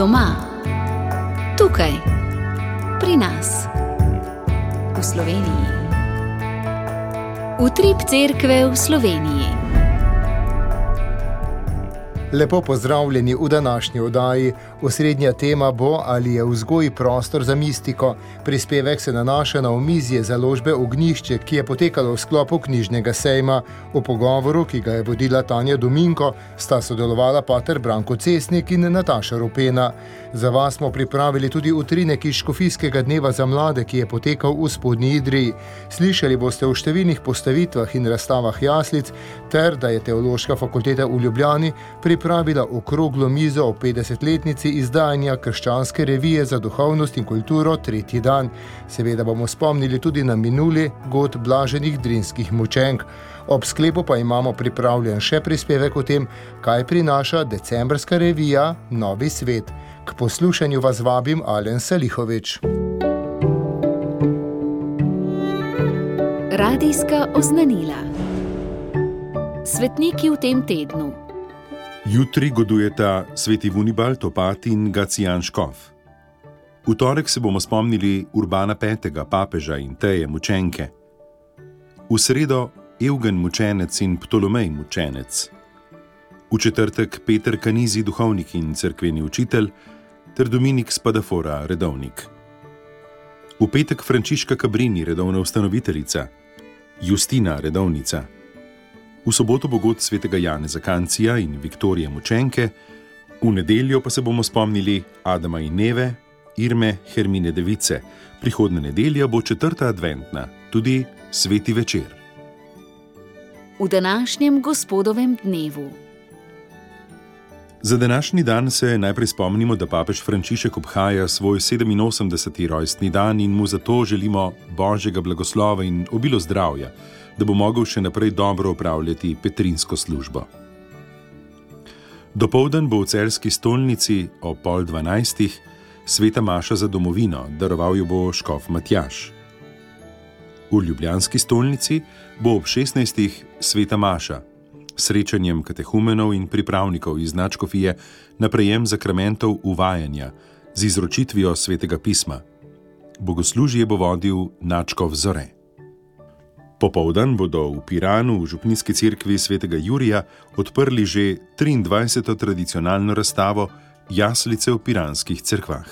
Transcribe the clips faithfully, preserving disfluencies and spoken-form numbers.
Doma, tukaj, pri nas, v Sloveniji. Utrip cerkve v Sloveniji. Lepo pozdravljeni v današnji oddaji. Osrednja tema bo, ali je vzgoj prostor za mistiko. Prispevek se nanaša na omizje založbe Ognjišče, ki je potekalo v sklopu knjižnega sejma. V pogovoru, ki ga je vodila Tanja Dominko, sta sodelovala pater Branko Cesnik in Nataša Rupena. Za vas smo pripravili tudi utrinek iz Škofijskega dneva za mlade, ki je potekal v Spodnji Idriji. Slišali boste v številnih postavitvah in razstavah jaslic, ter da je Teološka fakulteta v Ljubljani pripravila okroglo mizo o petdesetletnici izdajanja Krščanske revije za duhovnost in kulturo tretji dan. Seveda bomo spomnili tudi na minuli god blaženih drinskih mučenk. Ob sklepu pa imamo pripravljen še prispevek o tem, kaj prinaša decembrska revija Novi svet. K poslušanju vas vabim Alen Salihovič. Radijska oznanila. Svetniki v tem tednu. Jutri godujeta sveti Vunibald, opat in Gacijan Škof. V torek se bomo spomnili Urbana petega, papeža in Teje mučenke. V sredo Evgen mučenec in Ptolomej mučenec. V četrtek Peter Kanizi, duhovnik in cerkveni učitelj, ter Dominik Spadafora, redovnik. V petek Frančiška Cabrini, redovna ustanoviteljica, Justina, redovnica. V soboto bo god svetega Janeza Kancija in Viktorije mučenke, v nedeljo pa se bomo spomnili Adama in Neve, Irme, Hermine device. Prihodnja nedelja bo četrta adventna, tudi sveti večer. V današnjem gospodovem dnevu. Za današnji dan se najprej spomnimo, da papež Frančišek obhaja svoj sedeminosemdeseti rojstni dan in mu zato želimo božjega blagoslova in obilo zdravja, da bo mogel še naprej dobro opravljati petrinsko službo. Dopoldan bo v celjski stolnici o pol dvanajstih sveta maša za domovino, daroval jo bo škof Matjaž. V ljubljanski stolnici bo ob šestnajstih sveta maša, srečanjem katehumenov in pripravnikov iz nadškofije na prejem zakramentov uvajanja z izročitvijo svetega pisma. Bogoslužje bo vodil nadškof Zore. Popoldan bodo v Piranu v župnijski cerkvi svetega Jurija odprli že triindvajseto tradicionalno razstavo Jaslice v piranskih cerkvah.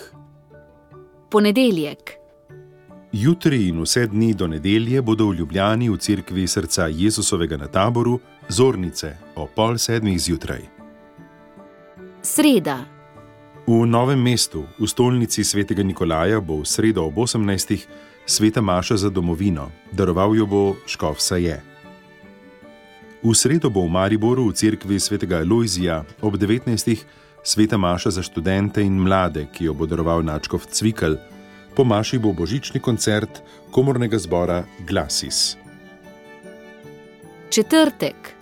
Ponedeljek. Jutri in vse dni do nedelje bodo v Ljubljani v cerkvi srca Jezusovega na Taboru zornice o pol sedmih zjutraj. Sreda. V Novem mestu, v stolnici svetega Nikolaja, bo v sredo ob osemnajstih sveta maša za domovino, daroval jo bo škof Saje. V sredo bo v Mariboru v cerkvi svetega Alojzija ob devetnajstih sveta maša za študente in mlade, ki jo bo daroval nadškof Cvikl. Po maši bo božični koncert komornega zbora Glasis. Četrtek.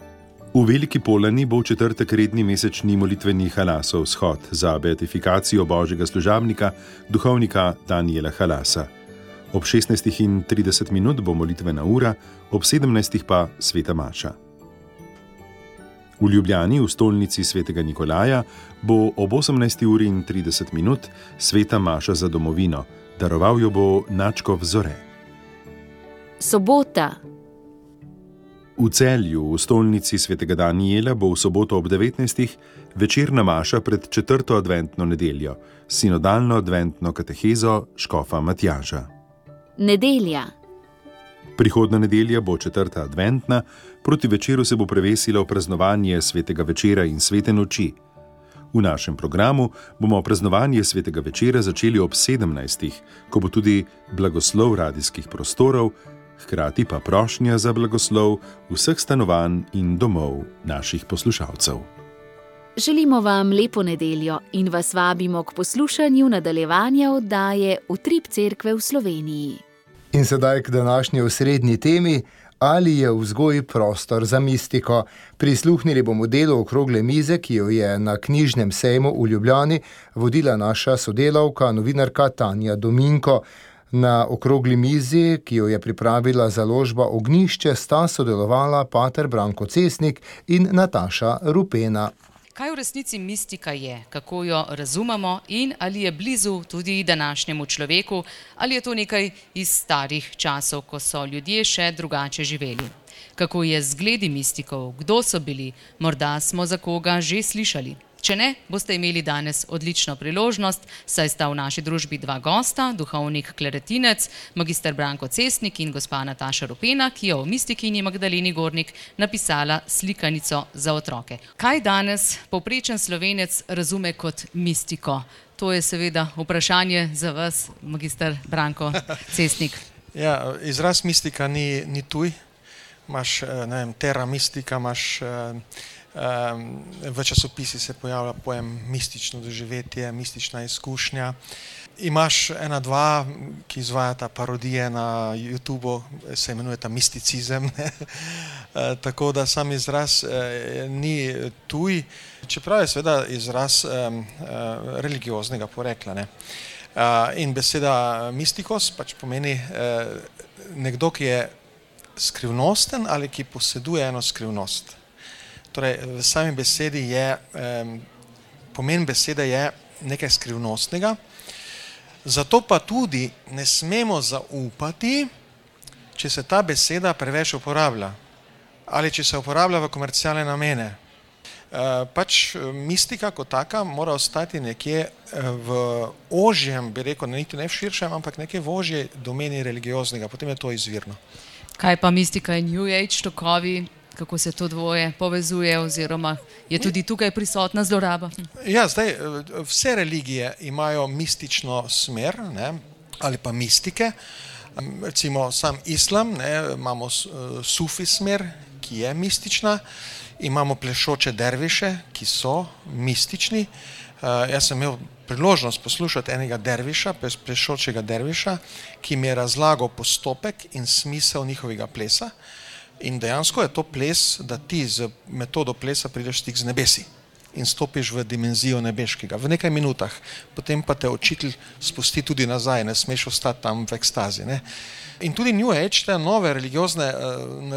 V Veliki Polani bo v četrtek redni mesečni molitveni halasov shod za beatifikacijo božjega služabnika, duhovnika Daniela Halasa. Ob šestnajstih in trideset minut bo molitvena ura, ob sedemnajstih pa sveta maša. V Ljubljani v stolnici svetega Nikolaja bo ob osemnajsti uri in trideset minut sveta maša za domovino, daroval jo bo nadškof Zore. Sobota. V Celju v stolnici svetega Danijela bo v soboto ob devetnajstih večerna maša pred četrto adventno nedeljo, sinodalno adventno katehezo škofa Matjaža. Nedelja. Prihodna nedelja bo četrta adventna, proti večeru se bo prevesilo praznovanje svetega večera in svete noči. V našem programu bomo praznovanje svetega večera začeli ob sedemnajstih, ko bo tudi blagoslov radijskih prostorov, hkrati pa prošnja za blagoslov vseh stanovanj in domov naših poslušalcev. Želimo vam lepo nedeljo in vas vabimo k poslušanju nadaljevanja oddaje Utrip cerkve v Sloveniji. In sedaj k današnji osrednji temi, ali je vzgoj prostor za mistiko. Prisluhnili bomo delu okrogle mize, ki jo je na knjižnem sejmu v Ljubljani vodila naša sodelavka, novinarka Tanja Dominko. Na okrogli mizi, ki jo je pripravila založba Ognjišče, sta sodelovala pater Branko Cesnik in Nataša Rupena. Kaj v resnici mistika je, kako jo razumemo in ali je blizu tudi današnjemu človeku, ali je to nekaj iz starih časov, ko so ljudje še drugače živeli? Kako je z zgledi mistikov, kdo so bili, morda smo za koga že slišali? Če ne, boste imeli danes odlično priložnost, saj sta v naši družbi dva gosta, duhovnik kleretinec, magister Branko Cesnik in gospa Nataša Rupena, ki je o mistikinji Magdaleni Gornik napisala slikanico za otroke. Kaj danes povprečen Slovenec razume kot mistiko? To je seveda vprašanje za vas, magister Branko Cesnik. Ja, izraz mistika ni, ni tuj. Imaš, ne vem, terra mistika, imaš... V časopisi se pojavlja pojem mistično doživetje, mistična izkušnja. Imaš ena, dva, ki izvajata parodije na YouTubu, se imenujeta misticizem. Tako da sam izraz ni tuj, čeprav je seveda izraz religioznega porekla. In beseda mistikos pač pomeni nekdo, ki je skrivnosten ali ki poseduje eno skrivnost. Torej, v sami besedi je, pomen besede je nekaj skrivnostnega, zato pa tudi ne smemo zaupati, če se ta beseda preveč uporablja ali če se uporablja v komercialne namene. Pač mistika kot taka mora ostati nekje v ožjem, bi rekel, niti ne v širšem, ampak nekje v ožje domeni religioznega, potem je to izvirno. Kaj pa mistika in New Age tokovi? Kako se to dvoje povezuje oziroma je tudi tukaj prisotna zloraba? Ja, zdaj, vse religije imajo mistično smer, ne, ali pa mistike. Recimo sam islam, ne, imamo sufi smer, ki je mistična, imamo plešoče derviše, ki so mistični. Jaz sem imel priložnost poslušati enega derviša, plešočega derviša, ki mi je razlagal postopek in smisel njihovega plesa. In dejansko je to ples, da ti z metodo plesa prideš stik z nebesi in stopiš v dimenzijo nebeškega v nekaj minutah. Potem pa te učitelj spusti tudi nazaj, ne smeš ostati tam v ekstazi. Ne? In tudi New Age, te nove religiozne,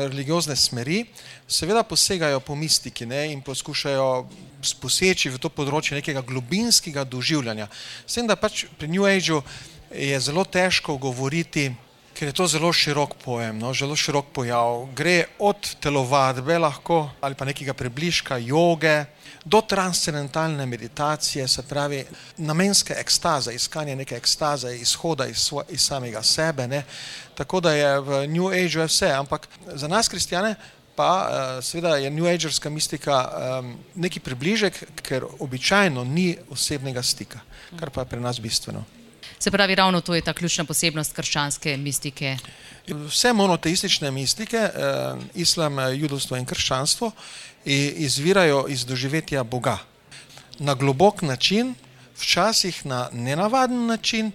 religiozne smeri, seveda posegajo po mistiki, ne? In poskušajo poseči v to področje nekega globinskega doživljanja. S tem, da pač pri New Ageu je zelo težko govoriti, ker je to zelo širok pojem, no, zelo širok pojav. Gre od telovadbe lahko ali pa nekega približka joge do transcendentalne meditacije, se pravi namenske ekstaze, iskanje neke ekstaze, izhoda iz, svo, iz samega sebe. Ne. Tako da je v New Ageu vse, ampak za nas kristjane pa seveda je New Agerska mistika neki približek, ker običajno ni osebnega stika, kar pa je pri nas bistveno. Se pravi, ravno to je ta ključna posebnost krščanske mistike. Vse monoteistične mistike, islam, judovstvo in krščanstvo, izvirajo iz doživetja Boga. Na globok način, včasih na nenavaden način,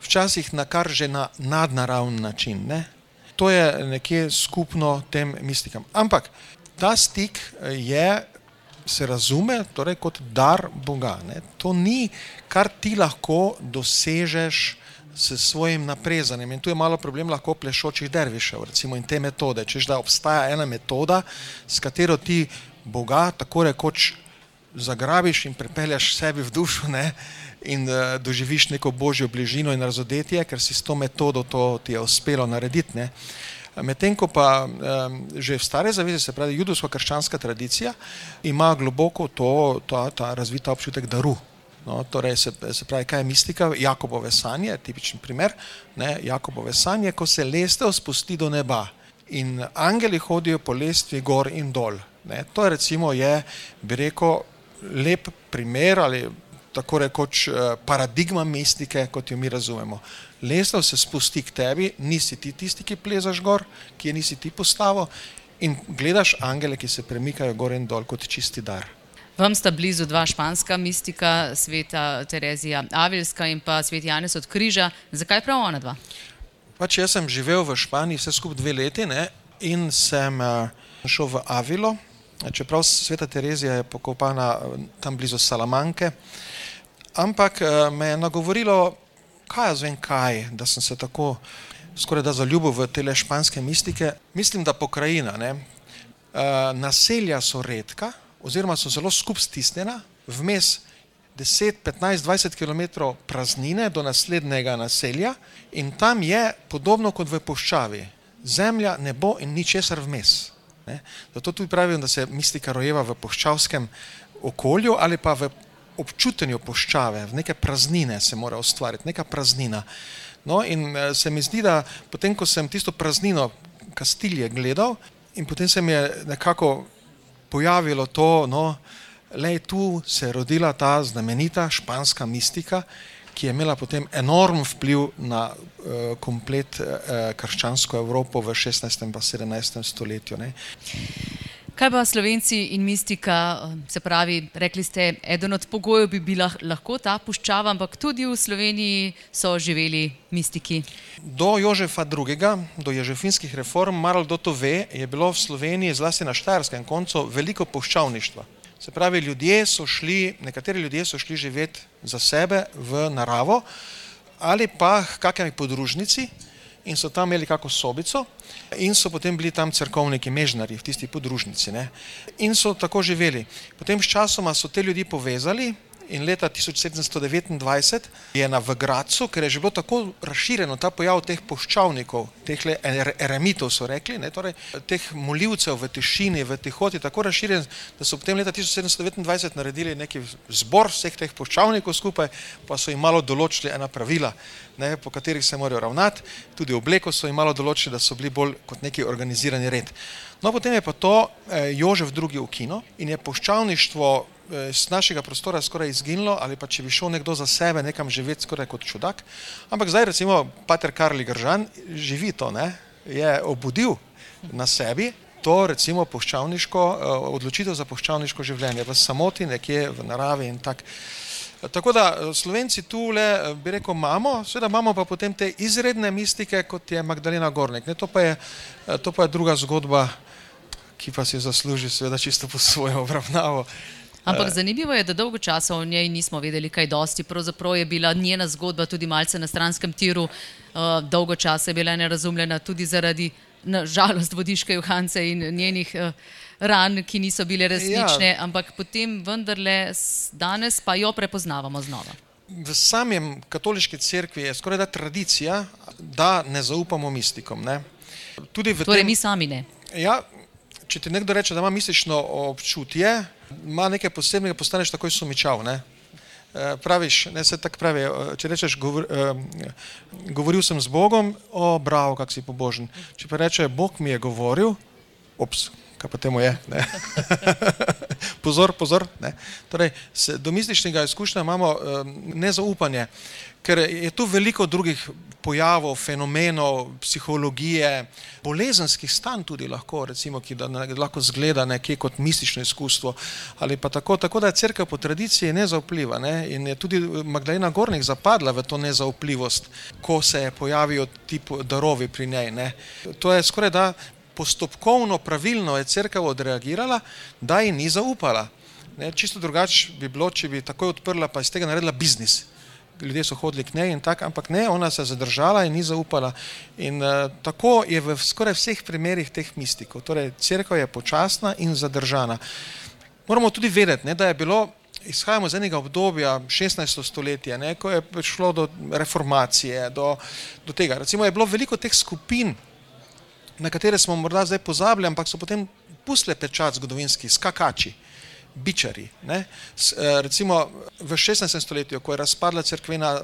včasih na kar že na nadnaravn način. Ne? To je nekje skupno tem mistikam. Ampak ta stik je, se razume, torej kot dar Boga. Ne? To ni, kar ti lahko dosežeš s svojim naprezanjem. In tu je malo problem lahko plešočih dervišev, recimo, in te metode. Češ, da obstaja ena metoda, s katero ti Boga tako rekoč zagrabiš in pripelješ sebi v dušo, ne? In uh, doživiš neko božjo bližino in razodetje, ker si s to metodo to ti je uspelo narediti. Ne? Medtem ko pa um, že v stare zaveze, se pravi judovsko-krščanska tradicija, ima globoko to, ta, ta razvita občutek daru. No, torej se, se pravi, kaj je mistika? Jakobove sanje, tipičen primer, ne? Jakobove sanje, ko se lestev spusti do neba in angeli hodijo po lestvi gor in dol. Ne? To je recimo je, bi rekel, lep primer ali tako rekoč paradigma mistike, kot jo mi razumemo. Lestev se spusti k tebi, nisi ti tisti, ki plezaš gor, ki je nisi ti postavil, in gledaš angele, ki se premikajo gor in dol kot čisti dar. Vam sta blizu dva španska mistika, sveta Terezija Avilska in pa svet Janez od Križa. Zakaj prav ona dva? Pač jaz sem živel v Španiji vse skupaj dve leti, ne, in sem šel v Avilo, čeprav sveta Terezija je pokopana tam blizu Salamanke, ampak me je nagovorilo, kaj jaz vem kaj, da sem se tako skoraj da zaljubil v tele španske mistike. Mislim, da pokrajina, ne, naselja so redka, oziroma so zelo skup stisnjena, vmes deset, petnajst, dvajset kilometrov praznine do naslednjega naselja in tam je podobno kot v puščavi. Zemlja, nebo in ničesar vmes. Ne? Zato tudi pravim, da se mistika rojeva v puščavskem okolju ali pa v občutenju puščave, v neke praznine se mora ustvariti, neka praznina. No in se mi zdi, da potem, ko sem tisto praznino Kastilje gledal in potem se mi je nekako pojavilo to, no, lej, tu se je rodila ta znamenita španska mistika, ki je imela potem enorm vpliv na uh, komplet uh, krščansko Evropo v šestnajstem pa sedemnajstem stoletju. Ne. Kaj pa Slovenci in mistika, se pravi, rekli ste, eden od pogojev bi bila lahko ta puščava, ampak tudi v Sloveniji so živeli mistiki. Do Jožefa drugega, do ježefinskih reform, malo kdo to ve, je bilo v Sloveniji, zlasti na štajerskem koncu, veliko puščavništva. Se pravi, ljudje so šli, nekateri ljudje so šli živeti za sebe v naravo ali pa k kakšni podružnici in so tam imeli kako sobico in so potem bili tam cerkovniki, mežnari v tisti podružnici. Ne? In so tako živeli. Potem s časoma so te ljudi povezali in leta tisoč sedemsto devetindvajset je na v Gradcu, ker je že bilo tako razširjeno ta pojav teh puščavnikov, teh eremitov so rekli, ne, torej teh molivcev v tišini, v tihoti, tako razširjen, da so potem leta tisoč sedemsto devetindvajset naredili neki zbor vseh teh puščavnikov skupaj, pa so jim malo določili ena pravila, ne, po katerih se morajo ravnati, tudi obleko so jim malo določili, da so bili bolj kot neki organizirani red. No, potem je pa to eh, Jožef drugi ukinil in je puščavništvo z našega prostora skoraj izginilo, ali pa če bi šel nekdo za sebe nekam živeti skoraj kot čudak. Ampak zdaj recimo pater Karli Gržan živi to, ne, je obudil na sebi to recimo puščavniško, odločitev za puščavniško življenje v samoti, nekje v naravi in tak. Tako da Slovenci tule, bi rekel, imamo, seveda imamo pa potem te izredne mistike, kot je Magdalena Gornik. Ne, to pa je, to pa je druga zgodba, ki pa si zasluži seveda čisto po svojo obravnavo. Ampak zanimivo je, da dolgo časa o njej nismo vedeli kaj dosti. Pravzaprav je bila njena zgodba tudi malce na stranskem tiru. Dolgo časa je bila nerazumljena tudi zaradi, na žalost, Vodiške Johance in njenih ran, ki niso bile resnične, ja. Ampak potem vendarle danes pa jo prepoznavamo znova. V samem katoliški cerkvi je skoraj da tradicija, da ne zaupamo mistikom. Ne? Tudi v torej tem... mi sami ne. Ja, če ti nekdo reče, da ima mistično občutje, ima nekaj posebnega, postaneš takoj sumičav, ne? E, praviš, ne, se tako pravi, če rečeš, govor, e, govoril sem z Bogom, o, bravo, kak si pobožen. Če pa reče, Bog mi je govoril, ops, kaj pa temu je, ne? pozor, pozor, ne? Torej, se, do mističnega izkušnja imamo e, nezaupanje, ker je tu veliko drugih pojavov, fenomenov, psihologije, bolezenskih stanj tudi lahko, recimo, ki da ne, lahko zgleda nekje kot mistično izkustvo ali pa tako, tako da je cerkev po tradiciji nezaupljiva, ne? In je tudi Magdalena Gornik zapadla v to nezaupljivost, ko se je pojavijo ti darovi pri njej, ne? To je skoraj da postopkovno, pravilno je cerkev odreagirala, da ji ni zaupala. Ne? Čisto drugače bi bilo, če bi takoj odprla pa iz tega naredila biznis. Ljudje so hodili k njej in tak, ampak ne, ona se je zadržala in ni zaupala. In uh, tako je v skoraj vseh primerih teh mistikov. Torej, cerkev je počasna in zadržana. Moramo tudi vedeti, ne, da je bilo, izhajamo z enega obdobja, šestnajsto stoletje, ne, ko je prišlo do reformacije, do, do tega. Recimo je bilo veliko teh skupin, na katere smo morda zdaj pozabili, ampak so potem pustle pečat zgodovinski, skakači. Bičari. Ne? Recimo v šestnajstem stoletju, ko je razpadla cerkvena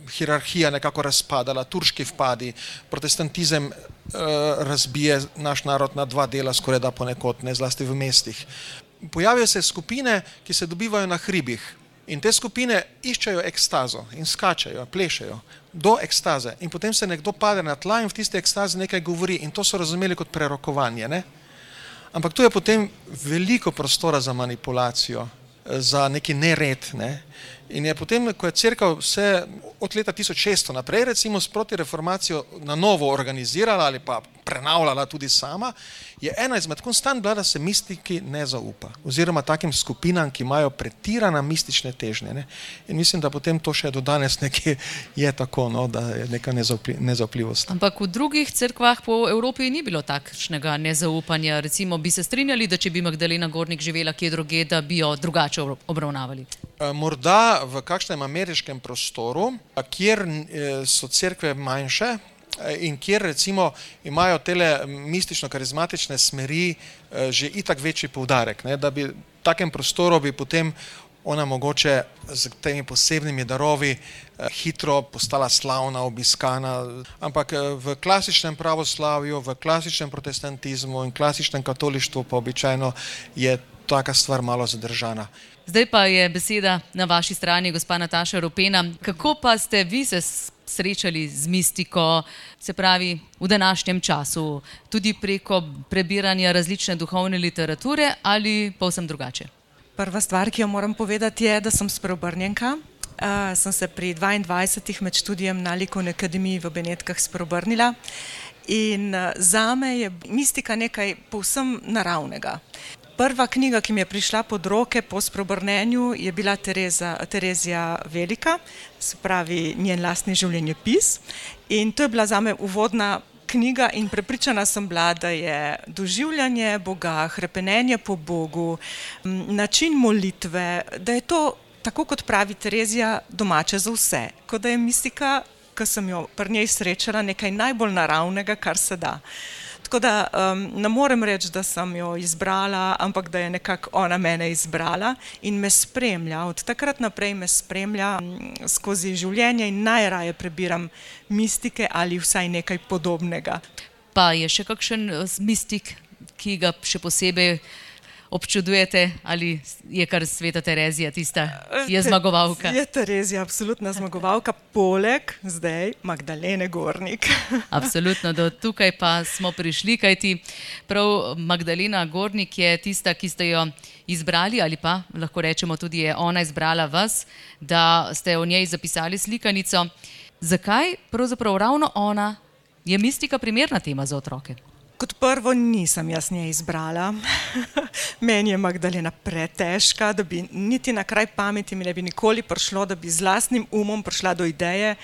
hierarhija, nekako razpadala, turški vpadi, protestantizem eh, razbije naš narod na dva dela, skoraj da ponekod, ne, zlasti v mestih. Pojavijo se skupine, ki se dobivajo na hribih in te skupine iščejo ekstazo in skačajo, plešajo do ekstaze in potem se nekdo pade na tla in v tiste ekstaze nekaj govori in to so razumeli kot prerokovanje, ne? Ampak tu je potem veliko prostora za manipulacijo, za neki nered, ne? In je potem, ko je cerkev vse od leta tisoč šeststo naprej, recimo sproti reformacijo na novo organizirala ali pa prenavljala tudi sama, je ena izmed konstant bila, da se mistiki ne zaupa. Oziroma takim skupinam, ki imajo pretirana mistične težnje. Ne? In mislim, da potem to še do danes nekje je tako, no, da je neka nezaupljivost. Ampak v drugih cerkvah po Evropi ni bilo takšnega nezaupanja. Recimo bi se strinjali, da če bi Magdalena Gornik živela kje drugje, da bi jo drugače obravnavali? Morda v kakšnem ameriškem prostoru, kjer so cerkve manjše in kjer recimo imajo tele mistično-karizmatične smeri že itak večji poudarek, ne, da bi v takem prostoru bi potem ona mogoče z temi posebnimi darovi hitro postala slavna, obiskana, ampak v klasičnem pravoslavju, v klasičnem protestantizmu in klasičnem katolištvu pa običajno je taka stvar malo zadržana. Zdaj pa je beseda na vaši strani, gospa Nataša Ropena. Kako pa ste vi se srečali z mistiko, se pravi v današnjem času, tudi preko prebiranja različne duhovne literature ali povsem drugače? Prva stvar, ki jo moram povedati, je, da sem spreobrnjenka. Uh, sem se pri dvaindvajsetih med študijem na Likovni akademiji v Benetkah spreobrnila in uh, zame je mistika nekaj povsem naravnega. Prva knjiga, ki mi je prišla pod roke po spreobrnenju, je bila Tereza, Terezija Velika, se pravi njen lastni življenjepis, in to je bila zame uvodna knjiga in prepričana sem bila, da je doživljanje Boga, hrepenenje po Bogu, način molitve, da je to, tako kot pravi Terezija, domače za vse. Kot da je mistika, ko sem jo pri njej srečala, nekaj najbolj naravnega, kar se da. Tako da um, ne morem reči, da sem jo izbrala, ampak da je nekako ona mene izbrala in me spremlja. Od takrat naprej me spremlja skozi življenje in najraje prebiram mistike ali vsaj nekaj podobnega. Pa je še kakšen mistik, ki ga še posebej občudujete, ali je kar sveta Terezija tista, je zmagovalka? Je Terezija absolutna zmagovalka, poleg zdaj Magdalene Gornik. Absolutno, do tukaj pa smo prišli, kajti prav Magdalena Gornik je tista, ki ste jo izbrali, ali pa lahko rečemo tudi je ona izbrala vas, da ste o njej zapisali slikanico. Zakaj pravzaprav ravno ona je mistika primerna tema za otroke? Kot prvo nisem jaz nje izbrala. Meni je Magdalena pretežka, da bi niti na kraj pameti mi ne bi nikoli prišlo, da bi z lastnim umom prišla do ideje,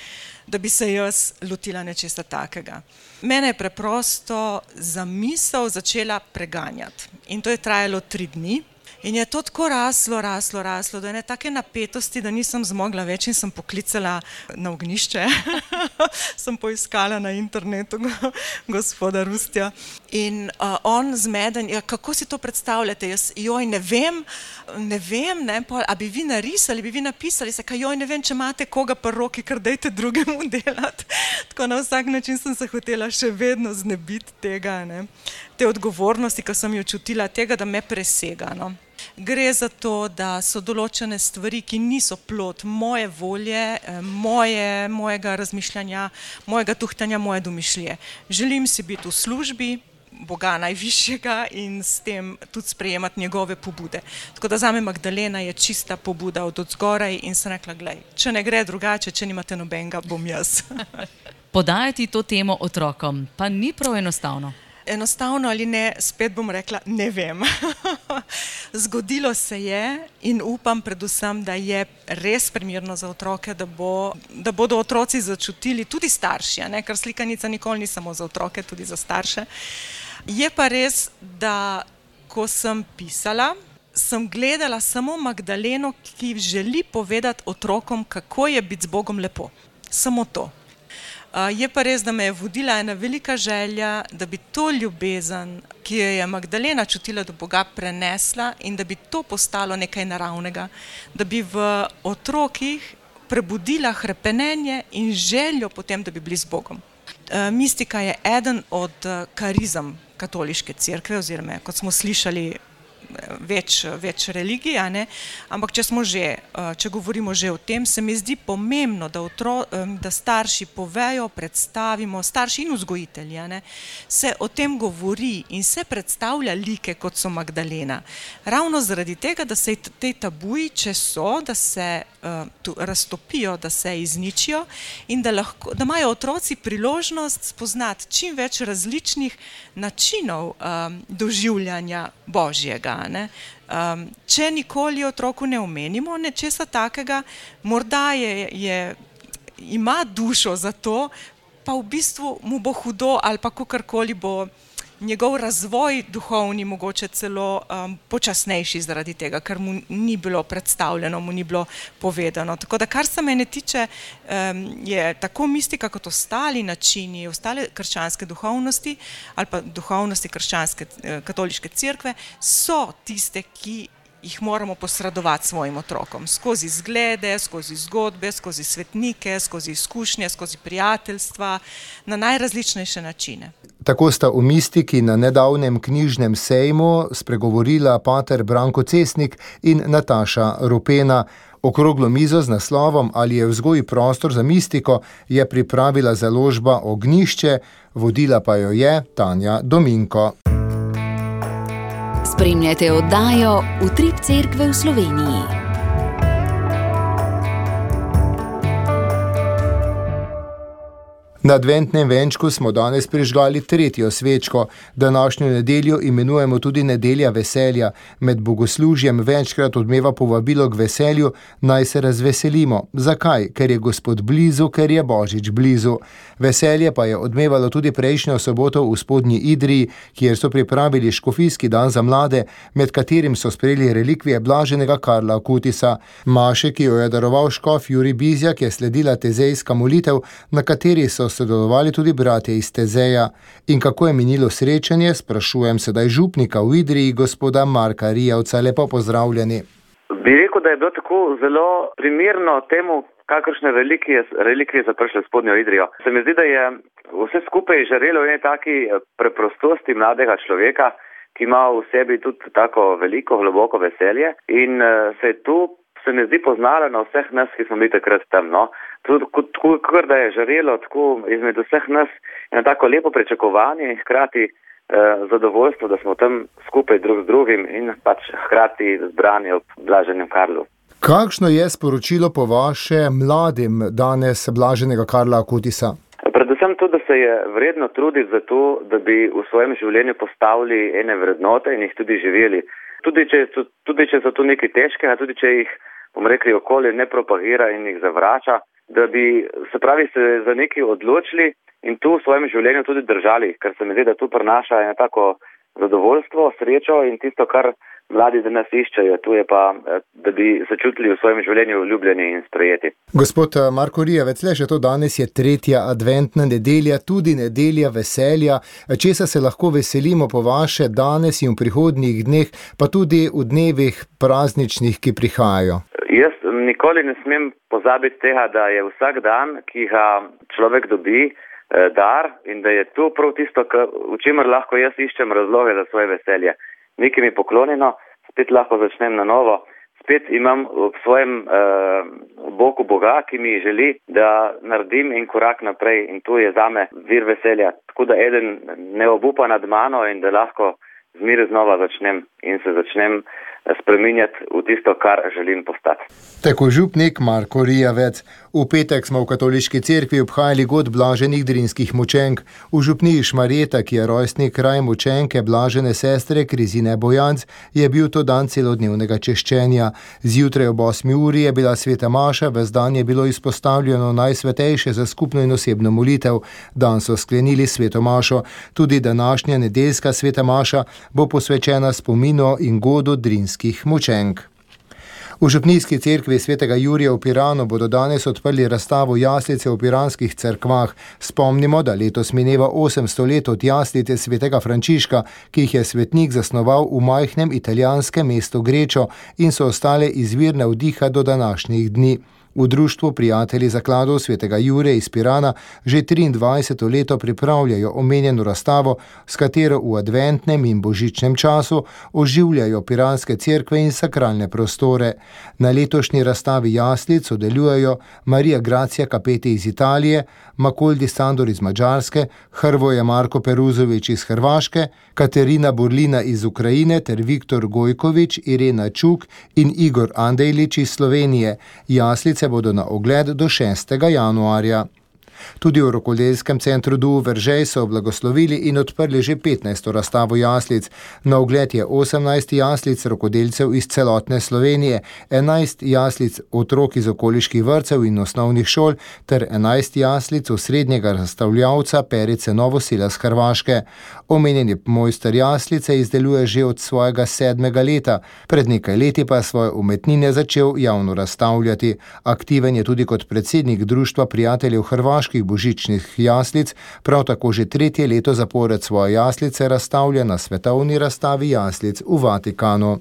da bi se jaz lotila nečesa takega. Mene je preprosto zamisel začela preganjati in to je trajalo tri dni. In je to tako raslo, raslo, raslo, da je ne take napetosti, da nisem zmogla več in sem poklicala na ognjišče. Sem poiskala na internetu gospoda Rustja. In uh, on zmeden, ja, kako si to predstavljate? Jaz, joj, ne vem, ne vem, ne, pol, a bi vi narisali, bi vi napisali, se kaj, joj, ne vem, če imate koga pri roki, kar dajte drugemu delati. Tako na vsak način sem se hotela še vedno znebiti tega, ne, te odgovornosti, ko sem jo čutila, tega, da me presega, no. Gre za to, da so določene stvari, ki niso plod moje volje, moje, mojega razmišljanja, mojega tuhtanja, moje domišljije. Želim si biti v službi Boga najvišjega in s tem tudi sprejemati njegove pobude. Tako da zame Magdalena je čista pobuda od odzgoraj in sem rekla, glej, če ne gre drugače, če nimate nobenega, bom jaz. Podajati to temo otrokom pa ni prav enostavno. Enostavno ali ne, spet bom rekla, ne vem. Zgodilo se je in upam predvsem, da je res primerno za otroke, da, bo, da bodo otroci začutili, tudi starši, ne? Ker slikanica nikoli ni samo za otroke, tudi za starše. Je pa res, da ko sem pisala, sem gledala samo Magdaleno, ki želi povedati otrokom, kako je biti z Bogom lepo. Samo to. Je pa res, da me je vodila ena velika želja, da bi to ljubezen, ki jo je Magdalena čutila do Boga, prenesla in da bi to postalo nekaj naravnega, da bi v otrokih prebudila hrepenenje in željo potem, da bi bili z Bogom. Mistika je eden od karizem katoliške cerkve, oziroma, kot smo slišali, več, več religij, a ne? Ampak če smo že, če govorimo že o tem, se mi zdi pomembno, da, otro, da starši povejo, predstavimo, starši in vzgojitelji, a ne, se o tem govori in se predstavlja like, kot so Magdalena. Ravno zaradi tega, da se te tabuji, če so, da se uh, tu, raztopijo, da se izničijo in da, lahko, da imajo otroci priložnost spoznati čim več različnih načinov um, doživljanja Božjega. Ne? Um, če nikoli otroku ne omenimo nečesa takega, morda je, je, ima dušo za to, pa v bistvu mu bo hudo ali pa kakorkoli bo njegov razvoj duhovni mogoče celo um, počasnejši zaradi tega, ker mu ni bilo predstavljeno, mu ni bilo povedano. Tako da, kar se mene tiče, um, je tako mistika kot ostali načini, ostale krščanske duhovnosti ali pa duhovnosti krščanske katoliške cerkve so tiste, ki jih moramo posredovati svojim otrokom. Skozi zglede, skozi zgodbe, skozi svetnike, skozi izkušnje, skozi prijateljstva, na najrazličnejše načine. Tako sta v mistiki na nedavnem knjižnem sejmu spregovorila pater Branko Cesnik in Nataša Rupena. Okroglo mizo z naslovom Ali je vzgoj prostor za mistiko je pripravila založba Ognjišče, vodila pa jo je Tanja Dominko. Spremljate oddajo Utrip cerkve v Sloveniji. Na adventnem venčku smo danes prižgali tretjo svečko. Današnjo nedeljo imenujemo tudi nedelja veselja. Med bogoslužjem večkrat odmeva povabilo k veselju, naj se razveselimo. Zakaj? Ker je Gospod blizu, ker je Božič blizu. Veselje pa je odmevalo tudi prejšnjo soboto v Spodnji Idriji, kjer so pripravili škofijski dan za mlade, med katerim so sprejeli relikvije blaženega Karla Akutisa. Maše, ki jo je daroval škof Jurij Bizjak, je sledila tezejska molitev, na kateri so sodelovali tudi bratje iz Tezeja. In kako je minilo srečanje, sprašujem sedaj župnika v Idriji, gospoda Marka Rijavca. Lepo pozdravljeni. Bi rekel, da je bilo tako zelo primerno temu, kakršne relikvije, relikvije so prišle v Spodnjo Idrijo. Se mi zdi, da je vse skupaj žarelo v eni taki preprostosti mladega človeka, ki ima v sebi tudi tako veliko, globoko veselje in se je tu, se mi zdi, poznalo na vseh nas, ki smo bili takrat tam, no. Tudi kot da je žarelo tako izmed vseh nas eno tako lepo pričakovanje in hkrati eh, zadovoljstvo, da smo tam skupaj drug z drugim in pač hkrati zbrani ob blaženem Karlu. Kakšno je sporočilo po vaše mladim danes blaženega Karla Akutisa? Predvsem to, da se je vredno truditi za to, da bi v svojem življenju postavili ene vrednote in jih tudi živeli. Tudi če so, tudi če so to nekaj težkega, tudi če jih, bom rekli, okolje ne propagira in jih zavrača, da bi se pravi se za nekaj odločili in tu v svojem življenju tudi držali, ker se mi zdi, da tu prinaša eno tako zadovoljstvo, srečo in tisto, kar mladi danes iščejo, tu je pa, da bi se čutili v svojem življenju ljubljeni in sprejeti. Gospod Marko Rijavec, le že to danes je tretja adventna nedelja, tudi nedelja veselja. Česa se lahko veselimo po vaše danes in v prihodnjih dneh, pa tudi v dnevih prazničnih, ki prihajajo? Jaz nikoli ne smem pozabiti tega, da je vsak dan, ki ga človek dobi, dar in da je to prav tisto, v čemer lahko jaz iščem razloge za svoje veselje. Nekaj mi poklonjeno, spet lahko začnem na novo, spet imam v svojem uh, boku Boga, ki mi želi, da naredim en korak naprej in to je zame vir veselja. Tako da eden ne obupa nad mano in da lahko zmeraj znova začnem in se začnem spreminjati v tisto, kar želim postati. Tako župnik Marko Rijavec. V petek smo v katoliški cerkvi obhajali god blaženih drinskih mučenk. V župniji Šmarjeta, ki je rojstni kraj mučenke blažene sestre Krizine Bojanc, je bil to dan celodnevnega češčenja. Zjutraj ob osmi uri je bila sveta maša, ves dan je bilo izpostavljeno najsvetejše za skupno in osebno molitev. Dan so sklenili sveto mašo. Tudi današnja nedeljska sveta maša bo posvečena spominu in godu drinskih mučenk. V župnijski cerkvi svetega Jurija v Piranu bodo danes odprli razstavo Jaslice v piranskih cerkvah. Spomnimo, da letos mineva osemsto let od jaslice svetega Frančiška, ki jih je svetnik zasnoval v majhnem italijanskem mestu Grečo in so ostale izvir navdiha do današnjih dni. V društvu Prijatelji zakladov svetega Jure iz Pirana že triindvajseto leto pripravljajo omenjeno razstavo, s katero v adventnem in božičnem času oživljajo piranske cerkve in sakralne prostore. Na letošnji razstavi jaslic sodelujejo Marija Gracija Kapeti iz Italije, Makoldi Sandor iz Madžarske, Hrvoje Marko Peruzovič iz Hrvaške, Katerina Burlina iz Ukrajine ter Viktor Gojkovič, Irena Čuk in Igor Andejlič iz Slovenije. Jaslice bodo na ogled do šestega januarja. Tudi v Rokodelskem centru Duh Veržej so blagoslovili in odprli že petnajsto razstavo jaslic. Na ogled je osemnajst jaslic rokodelcev iz celotne Slovenije, enajst jaslic otrok iz okoliških vrtcev in osnovnih šol ter enajst jaslic osrednjega razstavljavca Perice Novosila z Hrvaške. Omenjeni mojster jaslice izdeluje že od svojega sedmega leta, pred nekaj leti pa svoje umetnine začel javno razstavljati. Aktiven je tudi kot predsednik Društva prijateljev Hrvaške božičnih jaslic, prav tako že tretje leto zapored svoje jaslice razstavlja na svetovni razstavi jaslic v Vatikanu.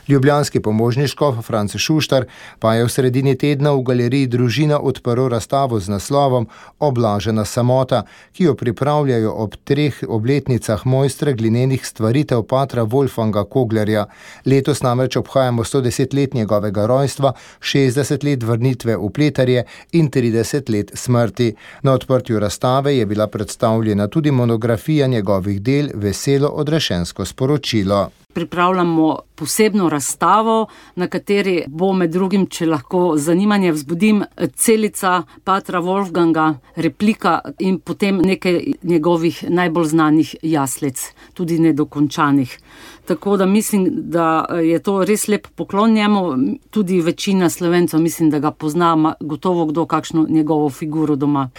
Ljubljanski pomožni škof Franc Šuštar pa je v sredini tedna v galeriji Družina odprl razstavo z naslovom Oblažena samota, ki jo pripravljajo ob treh obletnicah mojstra glinenih stvaritev patra Wolfganga Koglerja. Letos namreč obhajamo sto deset let njegovega rojstva, šestdeset let vrnitve v Pleterje in trideset let smrti. Na odprtju razstave je bila predstavljena tudi monografija njegovih del Veselo odrešensko sporočilo. Pripravljamo posebno razstavo, na kateri bo med drugim, če lahko zanimanje vzbudim, celica patra Wolfganga, replika in potem nekaj njegovih najbolj znanih jaslic, tudi nedokončanih. Tako da mislim, da je to res lep poklon njemu, tudi večina Slovencev mislim, da ga pozna, gotovo kdo kakšno njegovo figuro doma.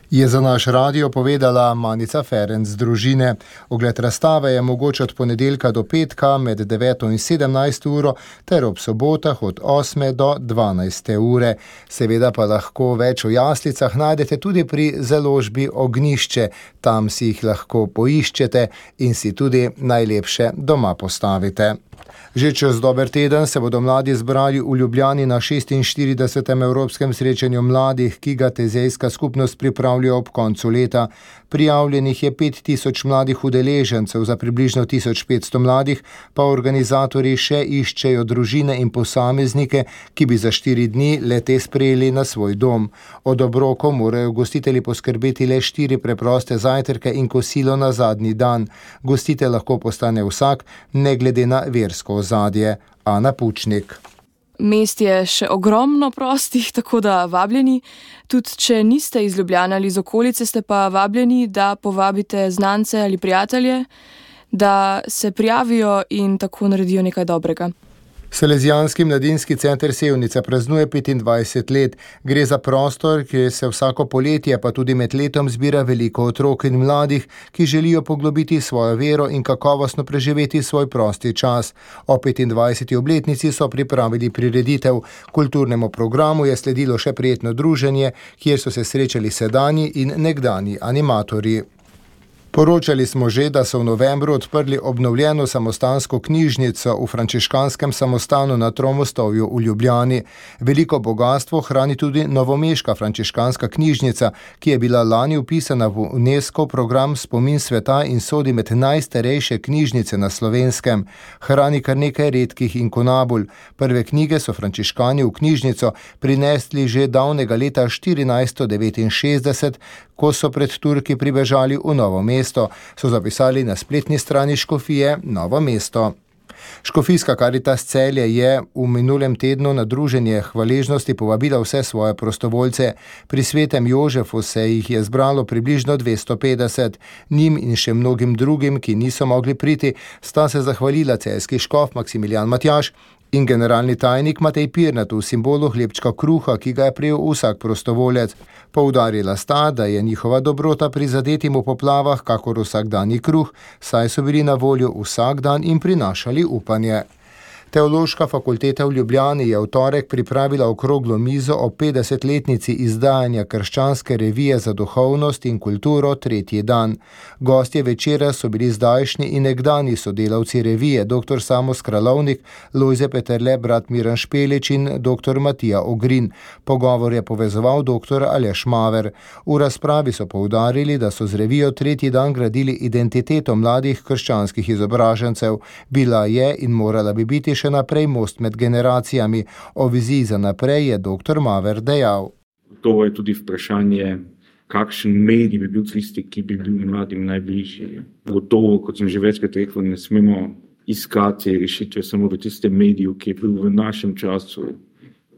Je za naš radio povedala Manica Ferenc z Družine. Ogled razstave je mogoč od ponedeljka do petka med deveto in sedemnajsto uro ter ob sobotah od osme do dvanajste ure. Seveda pa lahko več o jaslicah najdete tudi pri založbi Ognjišče. Tam si jih lahko poiščete in si tudi najlepše doma postavite. Že čez dober teden se bodo mladi zbrali v Ljubljani na šestinštiridesetem Evropskem srečanju mladih, ki ga tezejska skupnost pripravlja ob koncu leta. Prijavljenih je pet tisoč mladih udeležencev, za približno tisoč petsto mladih pa organizatorji še iščejo družine in posameznike, ki bi za štiri dni le-te sprejeli na svoj dom. Od obrokov morajo gostitelji poskrbeti le štiri preproste zajtrke in kosilo na zadnji dan. Gostitelj lahko postane vsak, ne glede na versko ozadje. Ana Pučnik. Mest je še ogromno prostih, tako da vabljeni. Tudi če niste iz Ljubljane ali iz okolice, ste pa vabljeni, da povabite znance ali prijatelje, da se prijavijo in tako naredijo nekaj dobrega. Salezijanski mladinski center Sevnica praznuje petindvajset let. Gre za prostor, kjer se vsako poletje pa tudi med letom zbira veliko otrok in mladih, ki želijo poglobiti svojo vero in kakovostno preživeti svoj prosti čas. O petindvajseti obletnici so pripravili prireditev. Kulturnemu programu je sledilo še prijetno druženje, kjer so se srečali sedanji in nekdanji animatorji. Poročali smo že, da so v novembru odprli obnovljeno samostansko knjižnico v frančiškanskem samostanu na Tromostovju v Ljubljani. Veliko bogastvo hrani tudi novomeška frančiškanska knjižnica, ki je bila lani vpisana v UNESCO program Spomin sveta in sodi med najstarejše knjižnice na Slovenskem. Hrani kar nekaj redkih inkunabul. Prve knjige so frančiškani v knjižnico prinesli že davnega leta štirinajststo devetinšestdeset, ko so pred Turki pribežali v Novo mesto, so zapisali na spletni strani škofije Novo mesto. Škofijska Karitas Celje je v minulem tednu na druženje hvaležnosti povabila vse svoje prostovoljce. Pri svetem Jožefu se jih je zbralo približno dvesto petdeset. Njim in še mnogim drugim, ki niso mogli priti, sta se zahvalila celjski škof Maksimilijan Matjaž in generalni tajnik Matej Pirnat v simbolu hlebčka kruha, ki ga je prejel vsak prostovoljec. Poudarila sta, da je njihova dobrota prizadetim v poplavah kakor vsakdanji kruh, saj so bili na voljo vsak dan in prinašali upanje. Teološka fakulteta v Ljubljani je v torek pripravila okroglo mizo o petdesetletnici izdajanja krščanske revije za duhovnost in kulturo Tretji dan. Gostje večera so bili zdajšnji in nekdani sodelavci revije dr. Samo Skralovnik, Lojze Peterle, brat Miran Špelič in dr. Matija Ogrin. Pogovor je povezoval dr. Aleš Maver. V razpravi so poudarili, da so z revijo Tretji dan gradili identiteto mladih krščanskih izobražencev. Bila je in morala bi biti še naprej most med generacijami. O viziji za naprej je dr. Maver dejal. To je tudi vprašanje, kakšen medij bi bil tisti, ki bi bil mladim najbližji. Gotovo, kot sem že večkrat rekel, ne smemo iskati rešitve samo v tistem mediju, ki je bil v našem času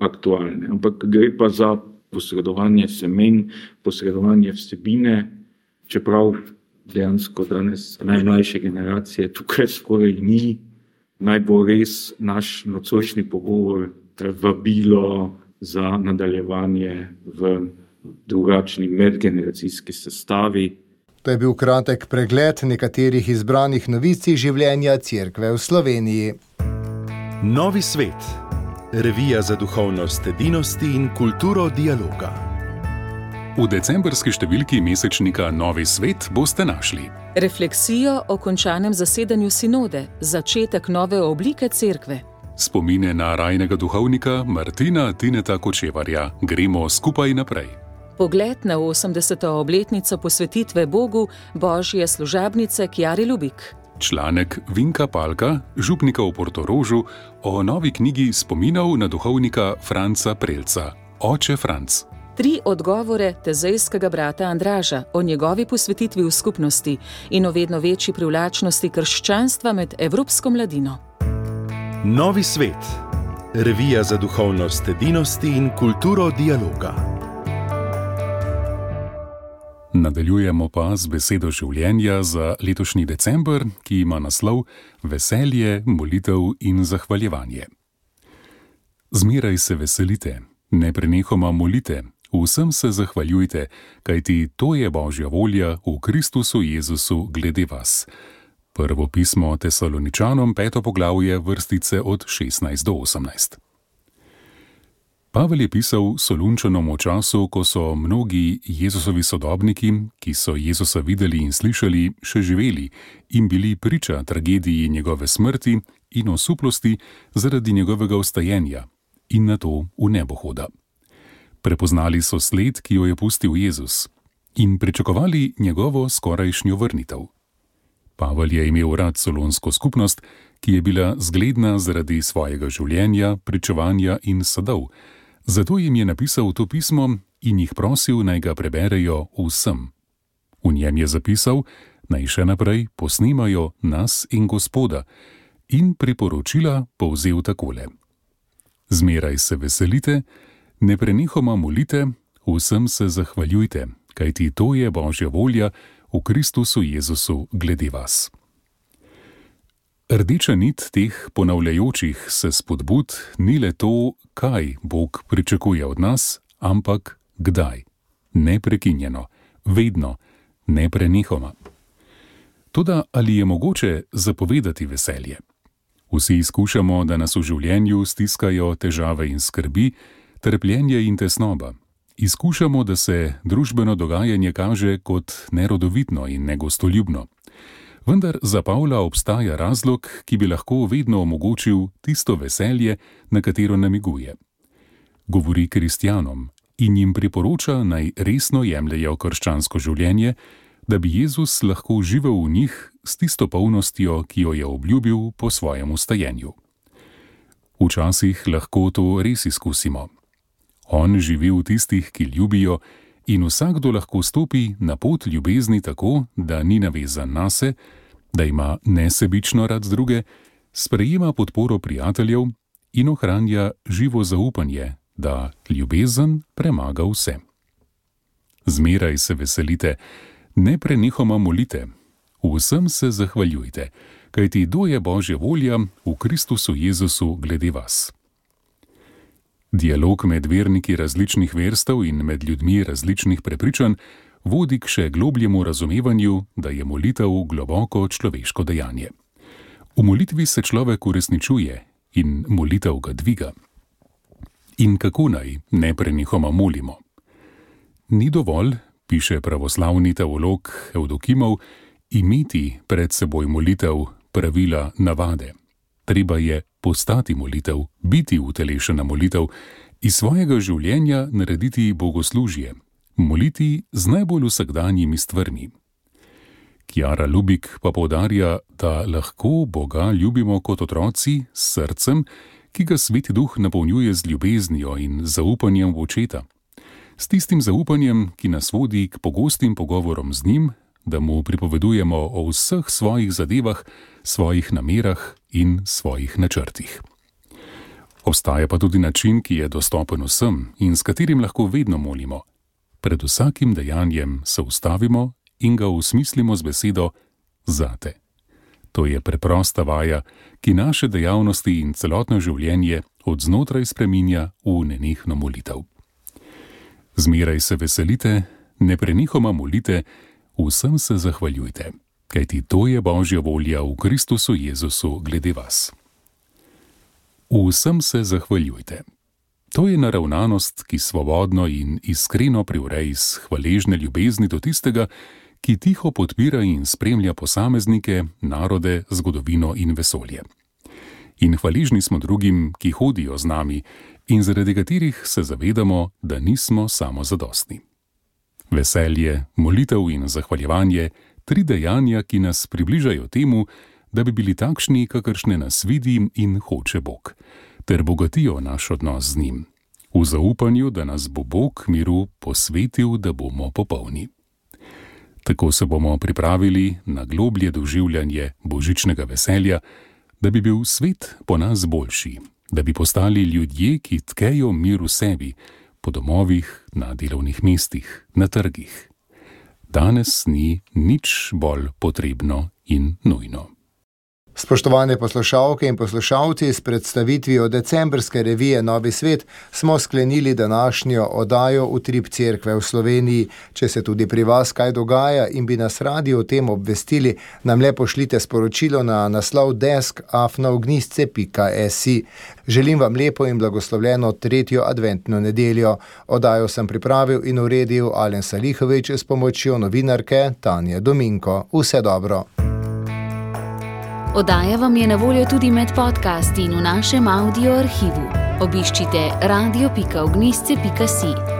aktualni. Ampak gre pa za posredovanje semen, posredovanje vsebine, čeprav dejansko danes najmlajše generacije tukaj skoraj ni. Naj bo res naš nocojšnji pogovor vabilo za nadaljevanje v drugačni medgeneracijski sestavi. To je bil kratek pregled nekaterih izbranih novic iz življenja Cerkve v Sloveniji. Novi svet. Revija za duhovnost edinosti in kulturo dialoga. V decembrski številki mesečnika Novi svet boste našli refleksijo o končanem zasedanju sinode, začetek nove oblike cerkve. Spomine na rajnega duhovnika Martina Tineta Kočevarja. Gremo skupaj naprej. Pogled na osemdeseto obletnico posvetitve Bogu Božje služabnice Kjari Lubik. Članek Vinka Palka, župnika v Portorožu, o novi knjigi spominov na duhovnika Franca Prelca, Oče Franc. Tri odgovore tezejskega brata Andraža o njegovi posvetitvi v skupnosti in o vedno večji privlačnosti krščanstva med evropsko mladino. Novi svet. Revija za duhovnost edinosti in kulturo dialoga. Nadaljujemo pa z besedo življenja za letošnji december, ki ima naslov Veselje, molitev in zahvaljevanje. Zmeraj se veselite, neprenehoma molite, vsem se zahvaljujte, kajti to je Božja volja v Kristusu Jezusu glede vas. Prvo pismo Tesaloničanom, peto poglavje, vrstice od šestnajst do osemnajst. Pavel je pisal Solunčanom v času, ko so mnogi Jezusovi sodobniki, ki so Jezusa videli in slišali, še živeli in bili priča tragediji njegove smrti in osuplosti zaradi njegovega vstajenja in nato v nebohoda. Prepoznali so sled, ki jo je pustil Jezus, in pričakovali njegovo skorajšnjo vrnitev. Pavel je imel rad solunsko skupnost, ki je bila zgledna zaradi svojega življenja, pričevanja in sadov. Zato jim je napisal to pismo in jih prosil, naj ga preberejo vsem. V njem je zapisal, naj še naprej posnemajo nas in Gospoda, in priporočila povzel takole. Zmeraj se veselite, neprenehoma molite, vsem se zahvaljujte, kajti to je Božja volja v Kristusu Jezusu glede vas. Rdeča nit teh ponavljajočih se spodbud ni le to, kaj Bog pričakuje od nas, ampak kdaj. Neprekinjeno, vedno, neprenehoma. Toda ali je mogoče zapovedati veselje? Vsi izkušamo, da nas v življenju stiskajo težave in skrbi, trpljenje in tesnoba. Izkušamo, da se družbeno dogajanje kaže kot nerodovitno in negostoljubno. Vendar za Pavla obstaja razlog, ki bi lahko vedno omogočil tisto veselje, na katero namiguje. Govori kristjanom in jim priporoča, naj resno jemljejo krščansko življenje, da bi Jezus lahko živel v njih s tisto polnostjo, ki jo je obljubil po svojem vstajenju. Včasih lahko to res izkusimo. On živi v tistih, ki ljubijo, in vsakdo lahko stopi na pot ljubezni tako, da ni navezan nase, da ima nesebično rad druge, sprejema podporo prijateljev in ohranja živo zaupanje, da ljubezen premaga vse. Zmeraj se veselite, neprenehoma molite, vsem se zahvaljujte, kajti to je Božja volja v Kristusu Jezusu glede vas. Dialog med verniki različnih verstev in med ljudmi različnih prepričanj vodi k še globljemu razumevanju, da je molitev globoko človeško dejanje. V molitvi se človek uresničuje in molitev ga dviga. In kako naj neprenehoma molimo? Ni dovolj, piše pravoslavni teolog Evdokimov, imeti pred seboj molitev, pravila, navade. Treba je postati molitev, biti utelešena molitev, iz svojega življenja narediti bogoslužje, moliti z najbolj vsakdanjimi stvarmi. Kjara Lubik pa poudarja, da lahko Boga ljubimo kot otroci s srcem, ki ga Sveti Duh napolnjuje z ljubeznijo in zaupanjem v očeta. S tistim zaupanjem, ki nas vodi k pogostim pogovorom z njim, da mu pripovedujemo o vseh svojih zadevah, svojih namerah in svojih načrtih. Obstaja pa tudi način, ki je dostopen vsem in s katerim lahko vedno molimo. Pred vsakim dejanjem se ustavimo in ga usmislimo z besedo zate. To je preprosta vaja, ki naše dejavnosti in celotno življenje od znotraj spreminja v nenehno molitev. Zmeraj se veselite, neprenehoma molite, vsem se zahvaljujte, kajti to je Božja volja v Kristusu Jezusu glede vas. Vsem se zahvaljujte. To je naravnanost, ki svobodno in iskreno privre iz hvaležne ljubezni do tistega, ki tiho podpira in spremlja posameznike, narode, zgodovino in vesolje. In hvaležni smo drugim, ki hodijo z nami in zaradi katerih se zavedamo, da nismo samozadostni. Veselje, molitev in zahvaljevanje, tri dejanja, ki nas približajo temu, da bi bili takšni, kakršne nas vidi in hoče Bog, ter bogatijo naš odnos z njim, v zaupanju, da nas bo Bog miru posvetil, da bomo popolni. Tako se bomo pripravili na globlje doživljanje božičnega veselja, da bi bil svet po nas boljši, da bi postali ljudje, ki tkejo mir v sebi, po domovih, na delovnih mestih, na trgih. Danes ni nič bolj potrebno in nujno. Spoštovane poslušalke in poslušalci, s predstavitvijo decembrske revije Novi svet smo sklenili današnjo oddajo Utrip cerkve v Sloveniji. Če se tudi pri vas kaj dogaja in bi nas radi o tem obvestili, nam le pošljite sporočilo na naslov desk afna ognjišče pika si. Želim vam lepo in blagoslovljeno tretjo adventno nedeljo. Oddajo sem pripravil in uredil Alen Salihovič s pomočjo novinarke Tanje Dominko. Vse dobro. Oddaja vam je na voljo tudi med podcasti in v našem audio arhivu. Obiščite radio pika ognjišče pika si.